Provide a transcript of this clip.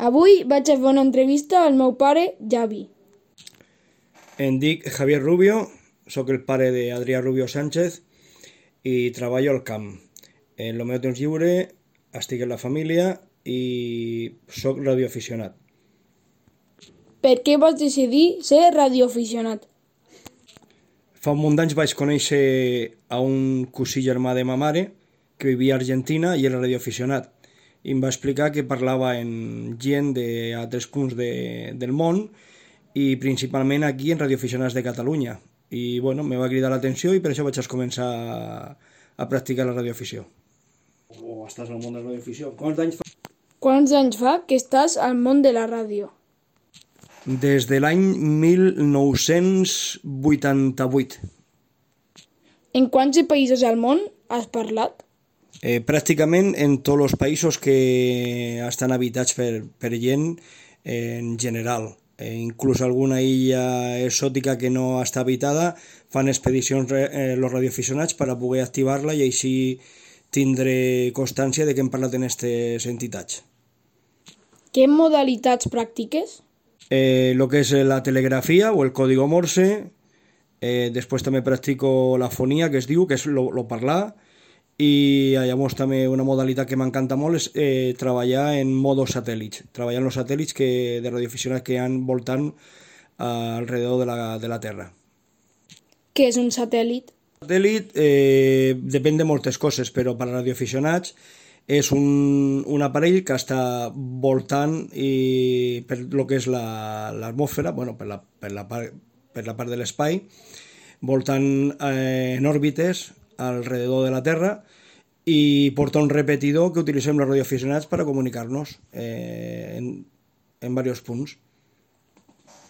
Avui vaig a fer una entrevista al meu pare, Javi. Em dic Javier Rubio, sóc el pare d'Adrià Rubio Sánchez i treballo al camp. En el meu temps lliure estic en la família i sóc radioaficionat. Per què vas decidir ser radioaficionat? Fa un munt d'anys vaig conèixer a un cosí germà de ma mare que vivia a Argentina i era radioaficionat. I em va explicar que parlava amb gent d'altres punts del món i principalment aquí en radioaficionats de Catalunya. I bueno, me va cridar l'atenció i per això vaig començar a practicar la radioafició. O estàs al món de la radioafició. Quants anys fa que estàs al món de la ràdio? Des de l'any 1988. En quants països al món has parlat? Pràcticament en tots els països que estan habitats per gent en general. Inclús alguna illa exòtica que no està habitada fan expedicions els radioaficionats per a poder activar-la i així tindre constància de que hem parlat en aquestes entitats. Què modalitats practiques? Lo que és la telegrafia o el código Morse, després també practico la fonia, que es diu, que és lo parlar, i llavors també una modalitat que m'encanta molt és treballar en modo satèl·lits, treballar en els satèl·lits de radioaficionats que hi ha voltant alrededor de la Terra. Què és un satèl·lit? Satèl·lit depèn de moltes coses, però per a radioaficionats és un aparell que està voltant i per lo que és l'atmosfera, bueno, per la part de l'espai, voltant en òrbites alrededor de la Terra i porta un repetidor que utilitzem els radioaficionats per a comunicar-nos en diversos punts.